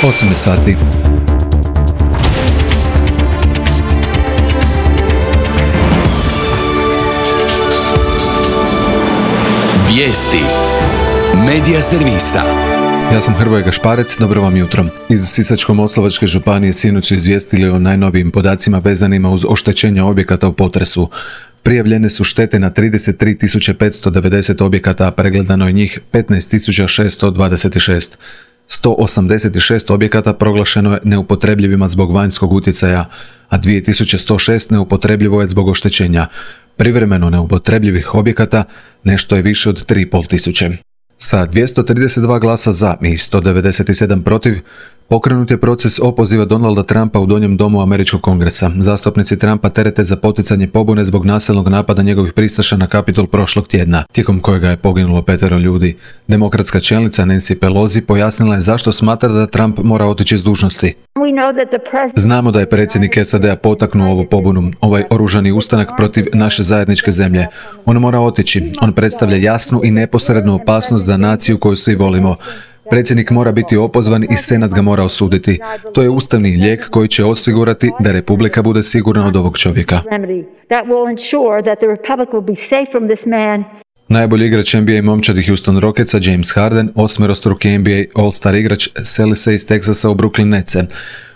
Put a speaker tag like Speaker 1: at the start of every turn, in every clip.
Speaker 1: 8 sati.
Speaker 2: Vijesti Medija servisa.
Speaker 1: Ja sam Hrvoje Gašparec, dobro vam jutro. Iz Sisačko-moslavačke županije sinoć su izvijestili o najnovijim podacima vezanima uz oštećenja objekata u potresu. Prijavljene su štete na 33.590 objekata, a pregledano je njih 15.626. 186 objekata proglašeno je neupotrebljivima zbog vanjskog utjecaja, a 2106 neupotrebljivo je zbog oštećenja. Privremeno neupotrebljivih objekata nešto je više od 3.500. Sa 232 glasa za i 197 protiv, pokrenut je proces opoziva Donalda Trumpa u Donjem domu Američkog kongresa. Zastupnici Trumpa terete za poticanje pobune zbog nasilnog napada njegovih pristaša na Kapitol prošlog tjedna, tijekom kojega je poginulo 5 ljudi. Demokratska čelnica Nancy Pelosi pojasnila je zašto smatra da Trump mora otići s dužnosti. Znamo da je predsjednik SAD-a potaknuo ovu pobunu, ovaj oružani ustanak protiv naše zajedničke zemlje. On mora otići. On predstavlja jasnu i neposrednu opasnost za naciju koju svi volimo. Predsjednik mora biti opozvan i Senat ga mora osuditi. To je ustavni lijek koji će osigurati da Republika bude sigurna od ovog čovjeka. Najbolji igrač NBA momčadi Houston Rocketsa James Harden, 8-struki NBA All-Star igrač, seli se iz Teksasa u Brooklyn Netse.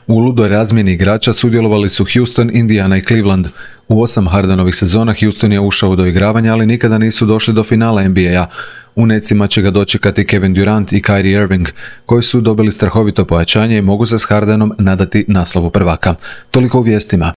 Speaker 1: U ludoj razmjeni igrača sudjelovali su Houston, Indiana i Cleveland. U 8 Hardenovih sezona Houston je ušao u doigravanje, ali nikada nisu došli do finala NBA-a. U Netsima će ga dočekati Kevin Durant i Kyrie Irving, koji su dobili strahovito pojačanje i mogu se s Hardenom nadati naslovu prvaka. Toliko u vijestima.